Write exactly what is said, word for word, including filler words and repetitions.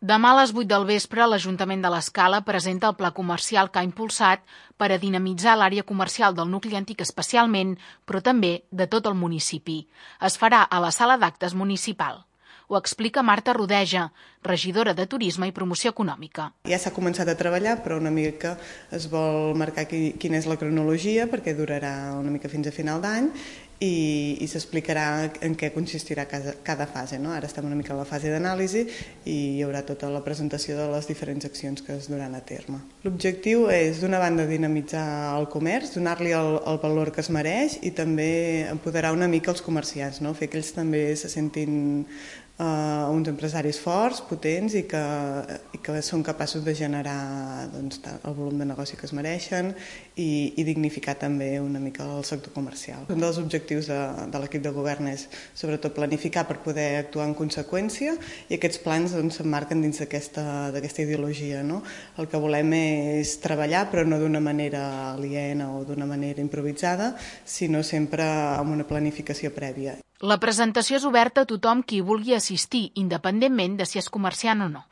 Demà a les vuit del vespre, l'Ajuntament de l'Escala presenta el pla comercial que ha impulsat per a dinamitzar l'àrea comercial del nucli antic especialment, però també de tot el municipi. Es farà a la sala d'actes municipal. Ho explica Marta Rodeja, regidora de Turisme i Promoció Econòmica. Ja s'ha començat a treballar, però una mica es vol marcar quina és la cronologia, perquè durarà una mica fins a final d'any, i, i s'explicarà en què consistirà cada, cada fase. No? Ara estem una mica a la fase d'anàlisi i hi haurà tota la presentació de les diferents accions que es duran a terme. L'objectiu és, d'una banda, dinamitzar el comerç, donar-li el, el valor que es mereix i també empoderar una mica els comerciants, no? Fer que ells també se sentin Uh, uns empresaris forts, potents i que, i que són capaços de generar doncs, el volum de negoci que es mereixen i, i dignificar també una mica el sector comercial. Un dels objectius de, de l'equip de govern és sobretot planificar per poder actuar en conseqüència i aquests plans doncs, s'emmarquen dins d'aquesta d'aquesta ideologia. No? El que volem és treballar però no d'una manera aliena o d'una manera improvisada, sinó sempre amb una planificació prèvia. La presentació és oberta a tothom qui vulgui assistir, independentment de si és comerciant o no.